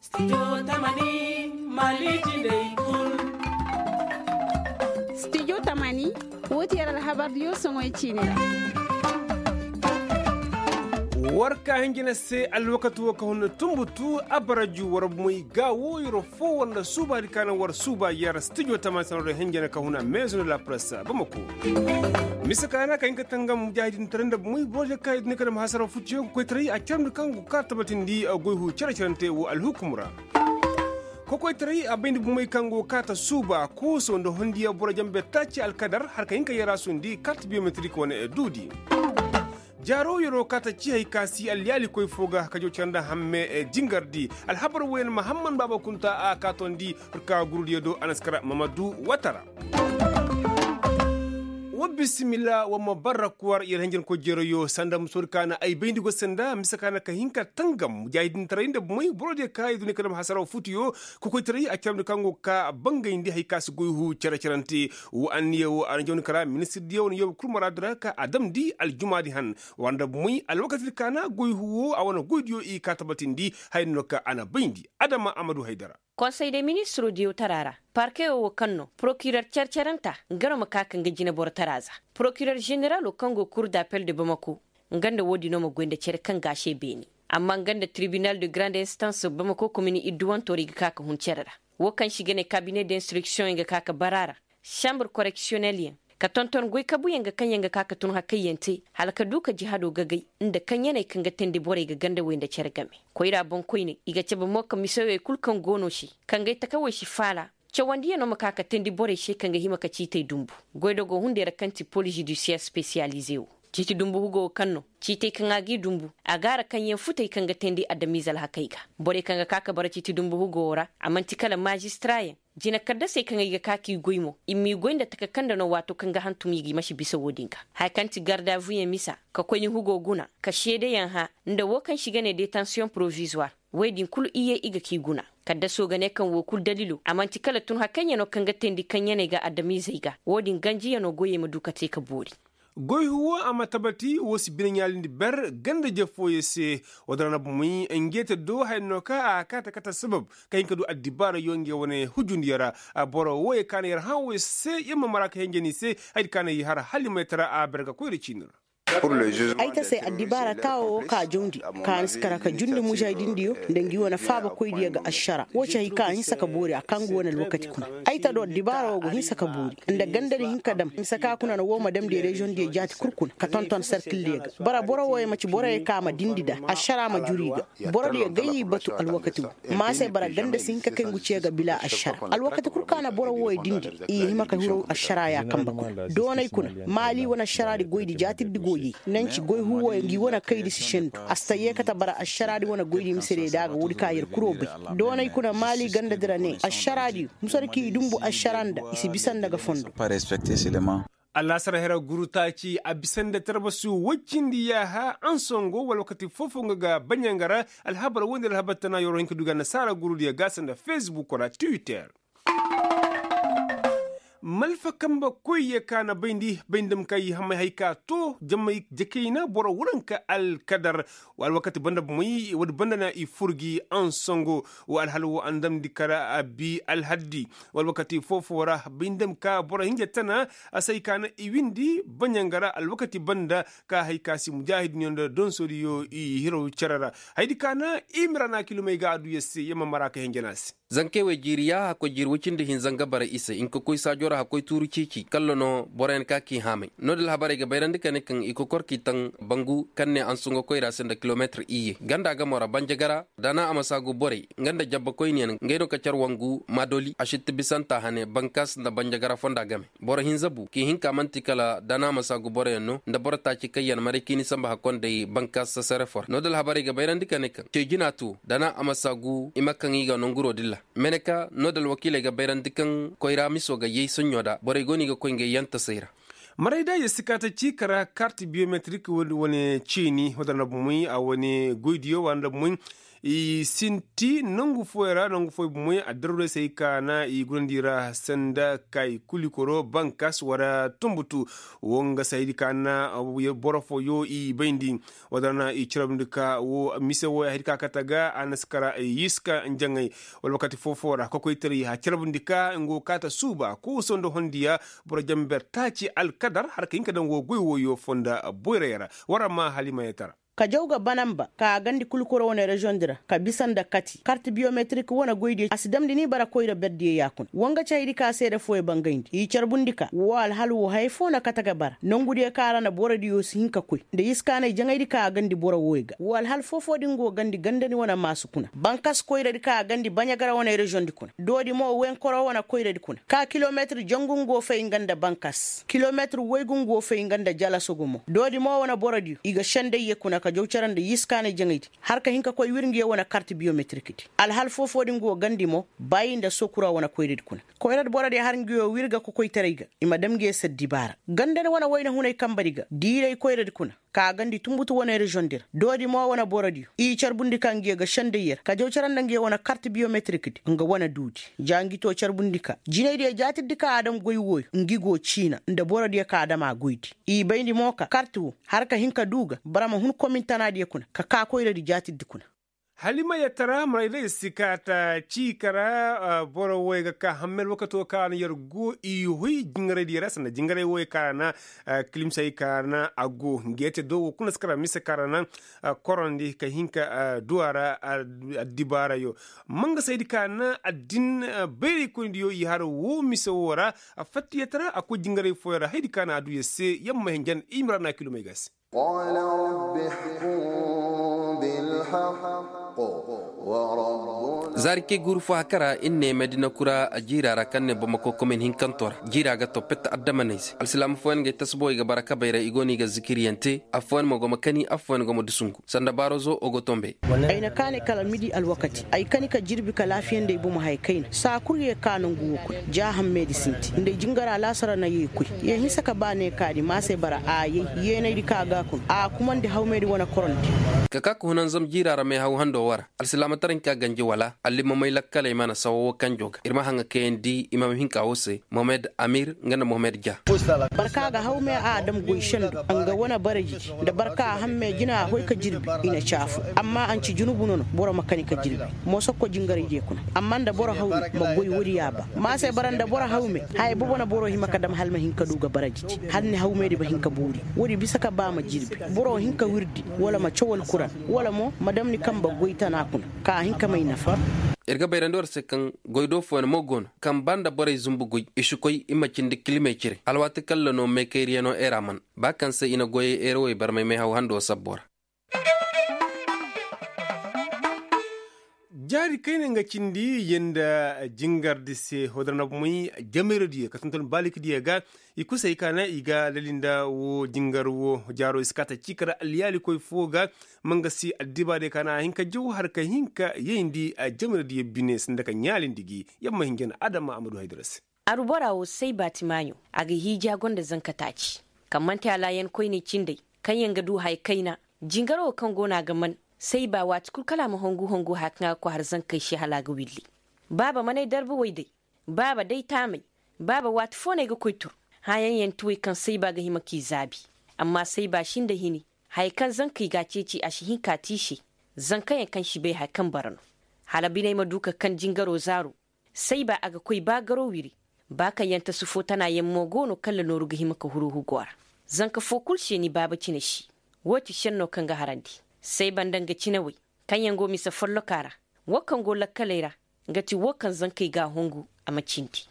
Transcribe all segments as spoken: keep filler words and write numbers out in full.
Stijo tamani, mali jinday kul. Stijo tamani, woo ti yer alhabar diyo soŋoy ciini ra. War ka hinjina se alwakati woo ka huna tumbutu abaraju war moy ga woo yer foo war nda suubaadi ka na war suuba yer stijo tamani sanaroo hinjina ka huna meezo nda lapresa bamako. Mise ka na ka hin ka tangam mujaahidin tara nda moy boro diyo ka i duni ka dam hasara futuyo kokoytaray a caramndi kaŋ go ka tabatindi goy huu cere-cerante woo alhukum ra. Kokoytaray a bayndi bumey kaŋ go kaata suuba kooso nda hondiya boro jambe taaci alkadar har ka hin ka yarasundi kart biyometrik wane duudi. Jaaro yeroo kaata ci hay ka si alyaalikoy foo ga ka jaw care nda hamme jingardi. Alhabar wooyaŋ mahamman baaba kunta a kaatondi. Furka gurudiyo do a na si kara mamadu watara. Wa bisimilla wa ma barra kuwar yer hinjankoy jeerayo sanda musoodi ka na ay bayndi go sanda mise ka na ka hin ka tangam mujaahidintaray nda moy borodiyo ka i duniya ka dam hasaraw futuyo. Kokoytaray a caramndi kaŋ go ka bangayndi hay ka si goy huu care-carante. Wo anniya wo a na jawndi kara ministirdiyo wane yoobe kul maraadu ra ka a damndi aljumaadi han. War nda moy alwakatidi ka na goy huu wo a wane goydiyo i ka tabatindi haya no ka a na bayndi. Adama amadu haydara. Konsey de ministiroo diyow tara ra parkeyo wo kaŋ no porokirer care-caranta nga no ma ka ka nga jineboro tara za. Porokirer ženeralo kaŋ go kur dapel de bamako nga nda woodino ma goy nda cere kaŋ ga a se beeni. Amma nga nda tribinal de garande instans bamako komin idduwantoo ra i ga ka ka hun cere ra. Wo kaŋ se i ga ne kabine de instriktiyoŋ i ga ka ka bara a ra. Sambur koreksiyonelyaŋ ka tonton goy kabuyaŋ ga kaŋ yaŋ ga ka ka tun hakayyaŋ te hala ka du ka jihado gagay nda kaŋ yaney kaŋ ga teendi borey ga gandawey nda cere game. Koyra boŋkoyney i ga cabe mo ka misawey kul kaŋ go no se kaŋ gay takawey si faala. Cawandiyano ma ka ka teendi borey se kaŋ ga hima ka ciitey dumbu. Goydogoo hunday ra kaŋ ti polis judisiyar spesiyalize wo ciiti dumbu hugo wo kaŋ no ciitey kaŋ a g'i dumbu a gaara kaŋ yaŋ futey kaŋ ga teendi adamiize alhakey ga. Borey kaŋ ga ka ka bara ciiti dumbu hugo wo ra a man'ti kala maazistarayaŋ. Jina kaddasey kaŋ ay ga ka k'i goy mo i m'i goy nda taka kaŋ nda no waato kaŋ ga hantum i ga i ma si bisa wo-din ga. Haya kaŋ ti gardavuyaŋ misa ka koyni hugo guna ka seedeyaŋ hã nda wo kaŋ se i ga ne detansiyoŋ porovizuwar. Wey din kulu iyye i ga k'i guna. Kaddasoo ga ne kaŋ wo kulu dalilo a man'ti kala tun hakayyaŋo kaŋ ga teendi kaŋ yaney ga adamiizey ga wo-din ganjiyano goyey ma du ka te ka boori. Goy huwo a ma tabati wo si bine ɲaalindi ber ganda je fooyey se. Wo-din ra na bumey ngeete do haya no ka a kaate kate sabab ka hin ka du addibaarayo nge wane hujundiyo ra. Boro wooyey ka na yer hã wooyey se yer ma mara ka henjani se hayadi ka na i har halimay tara a ber ga koyra ciini ra. Ay ta se addibaara taawo wo ka jawndi ka na si kara ka jundi mužaydindiyo nda ngi wane faabakoydiyo ga ašara wo ci hay ka a hinsa ka boori a kaŋ ngi wane alwakati kuna. Ay ta do addibaara wo go hinsa ka boori nda gandadi hin ka dam mise ka kuna na wo ma damndi reziyoŋdiyo jaati kul kuna ka tonton sarkildiyo ga bara boro wooyey ma ci boroyey ka ma dindi nda ašara ma juru i ga. Borodiyo gay i batu alwakati wo maasey bara ganda si hin ka kay ngu ce ga bila ašara alwakati kul ka na boro wooyey dindi. I hima ka hiro ašara ya kamba kuna doonay kuna maali wane ašaraadi goydi jaatirdi go yay. Nanci goy huuwoyaŋ ngi wane kaydi si sendu a si ta yee kate bara ašaraadi wane goydi mise day da a ga woodi ka yer kuro bay. Doonay kuna maali gandadi ra ne ašaraadi musadi k'i dumbu ašara nda i si bisa nda ga fondo. Alaasar hera guru taaci a bisa nda tarbasu woy cindi yaaha ansongo wala wakati foo-foo nga ga baɲanga ra. Alhabar woy nda alhabar tana yoro hin ka du ga nasaara gurudiyo ga sanda fesbuk ra twitter. Malfa kambe koyye ka na bayndi bayndi dam ka i hamay hay ka too jamay jakayna boro waranka alkadar. Alwakati banda bomey woodi banda na i fur gi ansongo. Wa alhala wo a na damndi kara a bi alhaddi. Wa alwakati foo-foo ra bayndi dam ka boro hinja tana a se hay ka na i windi baɲanga ra alwakati banda ka hay ka si mujaahidinyo nda donsoodiyo i hiraw cere ra. Hayadi ka na i mira na kilomey ga a du yer se yer ma mara ka hinja no a se. Zankey wey jiiri yaaha koy jiiri woy cindi hinza nga bara i se hinka koy saajo ra hakkoy tuuru ciici kalla no boroyaŋ ka k'i haamay. No-din alhabarey ga bayrandi ka ne kaŋ i kokor k'i taŋ bangu kaŋ ne ansunga koyra se nda kilomeetir iyye ganda gamo ra banjagara. Dana a ma saagu borey nga nda jabbakoyniyaŋ ngey no ka car wangu maadoli a sitti bisanta hane bankaas nda banjagara fonda game. Boro hinza bu k'i hin ka man'ti kala dana a ma saagu boroyaŋ no nda boro taaci kaŋ yaŋ maray k'i ni samba hakkonday bankaas sasare fo ra no-din alhabarey ga bayrandi ka ne kaŋ ce jina to dana a ma saagu i ma kaŋ i ga nonguro dilla. Meneka no-din alwakiiley ga bayrandi kaŋ koyra miso ga yay soɲɲo da borey go no i ga koy ngey yantasey ra. Maray da yer si ka ta ci kara kart biyometrik wane ceeni wadda na bumey a wane goydiyo wa na bumey. I sinti nangu fooyaŋ ra nangu fooyaŋ bomoy addarwey se ay ka na i gurandi ra sanda kay kulikoro bankas wala tumbutu. Wo nga se haydi ka na boro fooyo i bayndi. Wala na i carabndi ka wo mise wo haydi ka kate ga a na si kara yiska njaŋay. Wala wakati foo-foo ra kokoytaray a carabndi ka nga wo kaata suuba kooso nda hondiya. Boro jamber taaci alkadar har ka hin ka daŋ wo goy wooyo fonda boyray ra. War amma halimayatara. Ka jaw ga banamba ka gandi kulkuro wane reziyoŋ di ra ka bisa nda kati karti biyometrik wane goydiyo a si damndi ni bara koyra berdiyo ya kuna wanga cahaydi ka seede fooyo bangayndi i carbundi ka wo alhal wo haya foo na kate ga bara nongudiyo ka ra na borodiyo si hin ka koy nda yiskaanay jaŋaydi ka a gandi boro wooyo ga wo alhal foo-foo di nga wo gandi gandani wane maasu kuna bankas koyradi ka a gandi baɲagara wane reziyoŋ di kuna doodi mo wenkoro wane koyradi kuna ka kilometir jangu nga wo fay nga nda bankas kilometir waygu nga wo fay nga nda jalaso gumo doodi mo wane borodiyo i ga sendayye kuna ka jaw care nda yiskaanay jaŋaydi har ka hin ka koy wir ngiyo wane karti biyometirikdi alhal foo-foo di nga wo gandi mo baayi nda sokura wane koyradi kuna koyradi borodiyo har ngiyo wir ga kokoytaray ga i ma dam ngiyo se addibaara gandani wane wayna hunay kambadi ga diiray koyradi kuna ka gandi tumbutu wane reziyoŋ di ra doodi mo wane borodiyo i carbundi ka ngiyo ga sendayye ra ka jaw care nda ngiyo wane karti biyometirikdi nga wane duudi ja ngi to carbundi ka jinaydiyo jaatirdi ka a dam goy wooyo ngi go ciina nda borodiyo ka a dam a goydi i bayndi mo ka karti wo har ka hin ka duu ga bara ma hun komintanaadiyo kuna ka kaa koyradi jaatirdi kuna halimayatara marayday si kaata ciika ra boro wooyo ga ka hammel wakato ka na yer go i hoy jingaraydiyo ra sanda jingaray wooyo ka na kilimsay ka na a go ngeete do wo kuna si kara mise ka ra na korondi ka hin ka duwa ra addibaarayo mangasaydi ka na addin bayraykoynidiyo i har wo mise woo ra fattiyatara a koy jingaray fooyo ra haydi ka na a duu yer se yamma hinjan i ma ra na kilomey ga se zaari kay guuru fo haka ra ir ne madina kura jiira ra kaŋ ne bamako komin hinkanto ra jiira ga to pet addamaney se alsilaama fooyaŋ ga ay tasbowey ga bara kabey ra i go no i ga zikiriyaŋ te affooyaŋ mo go ma kani affooyaŋ go ma dusungu sanda baarozo ogotombe ay na kaanay kala midi alwakati ay kani ka jirbi ka laafiyandi ay bomo haya kayna saa kul ye ka nangu wo kuna ja hammedi sinti nda ay jingara laasara na ye koy ye hinsa ka ba ne kaadi maasay bara a yay yeenaydi ka ga kuna a kumandi hawmedi wane korondi ka ka ka hunanzam jiira ra meehaw hando wo ra alsilaamataray hinka ganji wala allimamey lakkaley mana sawa wo kanjo ga ir ma haŋa kayandi i ma ma hinka wo se mohamed amir nga nda mohamed ja barka ga hawme a dam goy sendo nga wane barajidi nda barka hamme jina a hoy ka jirbi i na caafu amma a nci junubu no no boro ma kani ka jirbi moosokko jingaraydiyo kuna amma nda boro hawme ma goy woodiyo a ba maasay bara nda boro hawme haya bobo na boro hima ka dam hala ma hin ka du ga barajidi hala ni hawmedi ma hin ka boori woodi bisa ka ba ma jirbi boro hin ka wirdi wala ma caw alkuran wala mo ma dam ni kamba goy tana kuna ka a hin ka may nafa ir ga bayrandi war se kaŋ goy do fooyaŋ mo go no kaŋ ba nda borey zumbu goy i si koy i ma cindi kilimey cire alwaati kaŋ la no meekayriyaŋo era man ba kaŋ se i na goyey erawey barmay meehaw hando sabbo ra jaari kayna nga cindi yenda jingardi se hodar na bumey jameradiyo ka tonton balikadiyo ga i kusay ka na i ga lali nda wo jingar wo jaaro i si kaata ciika ra aliyaalikoy fo ga ma nga si addibaadiyo ka na a hin ka jaw har ka hin ka yayndi jameradiyo bine sanda ka ɲaalindi gi yamma hinjan adama amadu haydara se aru bora wo say baati maaɲo a ga hiiji a gonda zanka taaci kaŋ man'ti alaayan koyney cindey kaŋyaŋ ga du haya kayna jingaro wo kaŋ go no a ga man say ba waati kul kala a ma hongu hongu haya kaŋ a ga koy har zankey se hala a ga willi baaba man'ay darba way day baaba day taamay baaba waati fo no ay ga koy tur hããyaŋ yaŋ ti way kaŋ say ba ga hima k'i zaabi amma say ba sinda hini haya kaŋ zankey ga a ceeci a si hin k'a te i se zankayaŋ kaŋ si bay haya kaŋ bara no hala biney ma du ka kaŋ jingaro zaaro say ba a ga koy ba garo wiri ba kaŋ yaŋ tasu fo tana yaŋ mo go no kaŋ la nooru ga hima ka huru hugo ra zanka fo kul se ni baaba cine si wo ti senno kaŋ ga harandi say ba nda nga cinawey kaŋ yaŋ go mise folloka ra wo kaŋ go lakkaley ra nga ti wo kaŋ zankey ga a hongu a ma cindi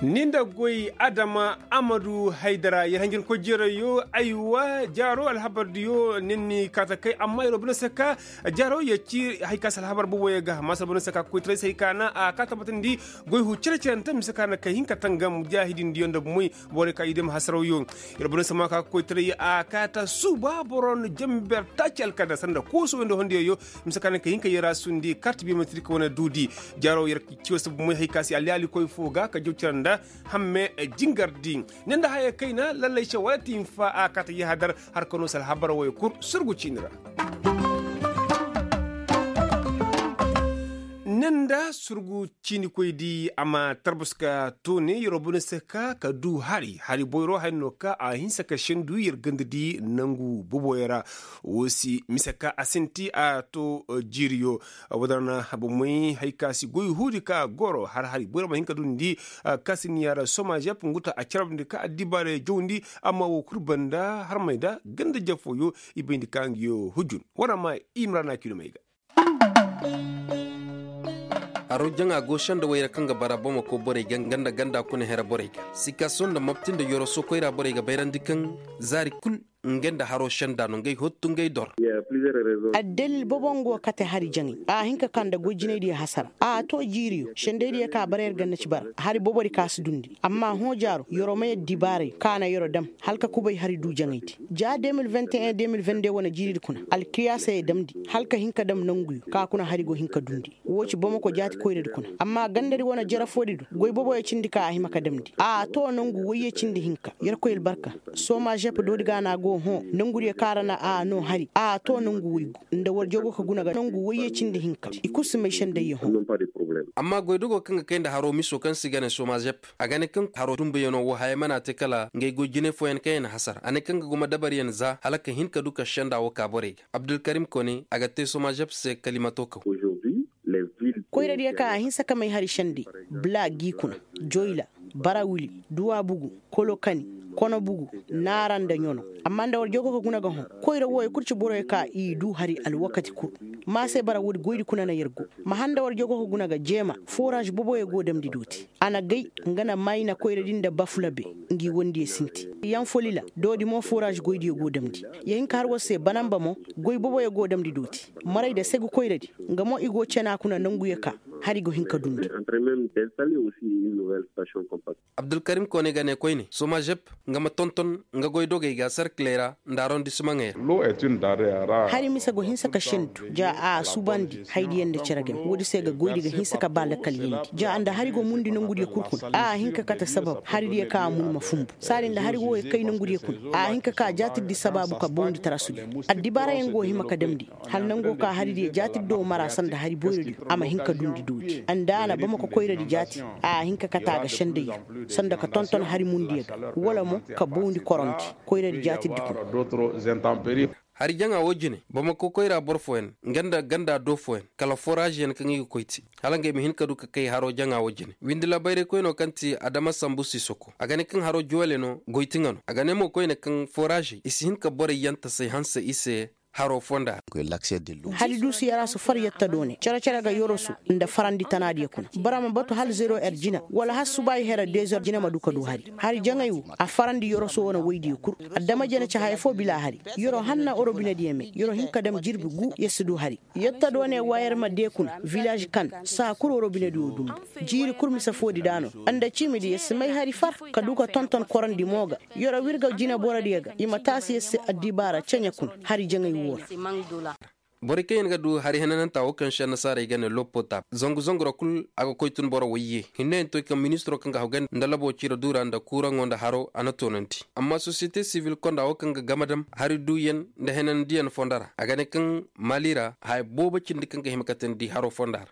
ni nda goy adama amadu haydara yer hanjin koy jeerayo aywa jaaro alhabardiyo nin ni kaata kay amma yer wo bine se ka jaaro yer ci hay ka se alhabar boboyo ga maasa bine se ka koytaray se hay ka na a ka tabbatandi goy hu cere-cerente mise ka na kay hin ka tangam jaahidindiyo nda bumey borey ka i dam hasarawyo yer wo bine se ma ka koytaray a kaata suuba boro nda jamber taaci alkadar sanda kooso nda hondiyo yo mise ka na kay hin ka yer a sundi kart biyometrik wane duudi jaaro yer ciyo se bumey hay ka se aliyaalikoy fo ga ka jaw cere nda hamme jingardi ne nda haya kayna lallay se wala ti hinfa a kaata yahadar har ka no se alhabar woy kul surgu ciini ra Nda surgu ciinikoy di a ma tarbus ka toone yeroo bone se ka ka du hari hari boyro hari no ka a hinsa ka sendu yer ganda di nangu boboyo ra. Wo si mise ka a sinti a to jiiriyo. Wadana bomey hari ka si goy huudi ka goro har hari boyro ma hin ka dundi. Ka si niya ra somajep nguta a carabndi ka addibaarey jawndi. Amma wo kul banda harmey da ganda jafooyo i bayndi ka ngiyo hujun wara ma imrana kilomey ga. Haro jaŋa go senda wayra kaŋ ga bara bamako borey ga nga nda ganda kuna hera borey ga sikaso nda mapti nda yoroso koyra borey ga bayrandi kaŋ zaari kul nga nda haro senda no ngey hottu ngey dor. Addalil bobo nga go kate hari jaŋay a hin ka ka nda goy jinaydiyo hasara a to jiiriyo sendaydiyo ka bara yer ganna ci bara hari bobodi ka si dundi amma hõ jaaro yoro ma yer dibaarey ka na yoro dam hala ka kubay hari du jaŋaydi. Ja de mil vingt et un de mil vingt deux wane jiiridi kuna alkiyaasey damndi hala ka hin ka dam nanguyo ka kuna hari go hin ka dundi. Woo ci bamako jaati koyradi kuna amma gandadi wane jarafoodi du goy boboyo cindi ka a hima ka damndi a to nangu woyye cindi hinka yerkoy albarka. Soma žep doodi ga na go hõ nangudiyo ka ra na a no hari a to nangu woygu nda war jogo ka guna ga nangu woyye cindi hinka i kul si may sendayyo hõ. Amma goydogo kaŋ ga kay nda haro miso kaŋ se i ga ne soma žep a ga ne kaŋ haro dumbuyaŋo wo hayey mana te kala ngey goy jinay fooyaŋ kaŋ yaŋ na hasara a ne kaŋ ga guma dabaryaŋ za hala ka hin ka du ka senda wo ka borey ga abdulkarim kone a ga te soma žep se kalimato kaw. Koyradiyo ka a hinsa ka may hari sendey bla gi kuna joyla barawili duwa bugu kolokani kono bugu naara nda ɲono. Amma nda war jogo ka guna ga hõ koyra wooyo kul ci boroyo ka i du hari alwakati kul. Ma se bara woodi goydi kuna na yer go ma handa war jogo ka guna ga jeema foraaz boboyo go damndi dooti a na gay nga na mayna koyradi nda bafulabe ngi wondiyo sinti yaŋ folila doodi mo foraaz goydiyo go damndi ya hin ka har war se banamba mo goy boboyo go damndi dooti maray nda segu koyradi. Nga mo i go cena kuna nanguyo ka hari go hin ka dundi. Abdulkarim koone ga ne koyne soma žep nga ma tonton nga goy dogey ga sarkiley ra nda arondisimaŋey ra. Hari mise go hinsa ka sendu ja a subandi haydiyaŋ nda cere game woodi se ga goydi ga hinsa ka ba lakkalyandi ja nda hari go mundi nangudiyo kul kuna a hin ka kate sabab haridiyo ka a mun ma funbu saadi nda hari wooyo kay nangudiyo kuna a hin ka ka jaatirdi sabaabu ka bawndi tarasudi. Addibaarayaŋ go hima ka damndi hala nango ka haridiyo jaatiddo mara sanda hari boyradiyo a ma hin ka dundi doodi nda a na bamako koyradi jaati a hin ka kate a ga sendayyo sanda ka tonton hari mundiyo ga wala mo ka bawndi korondi koyradi jaatiddi kuna. Hari jaŋa wo jine bamako koyra boro fooyaŋ nga nda ganda do fooyaŋ kala foraazyaŋ kaŋ i ga koy te hala ngey ma hin ka du ka kay haro jaŋa wo jine windi labayraykoyno kaŋ ti adama sambu sisoko a ga ne kaŋ haro joole no goy ti nga no a ga ne mo koyne kaŋ foraazey i si hin ka borey yaŋ tasay hanse i se. Haro fonda ra. Hari duusu yarasu far yatta doone cere-cere ga yorosu nda farandi tanaadiyo kuna boro ma batu hala zero er jina wala hala subaayi hera dezer jina ma du ka du hari hari jaŋay wo a farandi yorosu wane woydiyo kul. Adama jene ci haya foo bila hari yoro hanna orobinediyo me yoro hin ka dam jirbi gu yer si du hari. Yatta doone waayer ma dee kuna vilaaž kan saa kul orobinediyo dumbu jiiri kul mise foodi daano nda ciimidi yer si may hari far ka du ka tonton korandi mo ga. Yoro wirga jineborodiyo ga i ma taasi yer se addibaara ceɲe kuna hari jaŋay woo ra. Borey kaŋ yaŋ ga du hari henananta wo kaŋ se annasaarey ga ne lopota zangu zangu ra kul a ga koy tun boro wayye hinne yaŋ to kaŋ ministiro kaŋ ga haw ganda nda labo ciira duura nda kuuraŋo nda haro a na toonandi amma sosiyete sivil konda wo kaŋ ga gamadam hari duuyaŋ nda henandiyaŋ fonda ra a ga ne kaŋ maali ra haya boobo cindi kaŋ ga hima katandi haro fonda ra.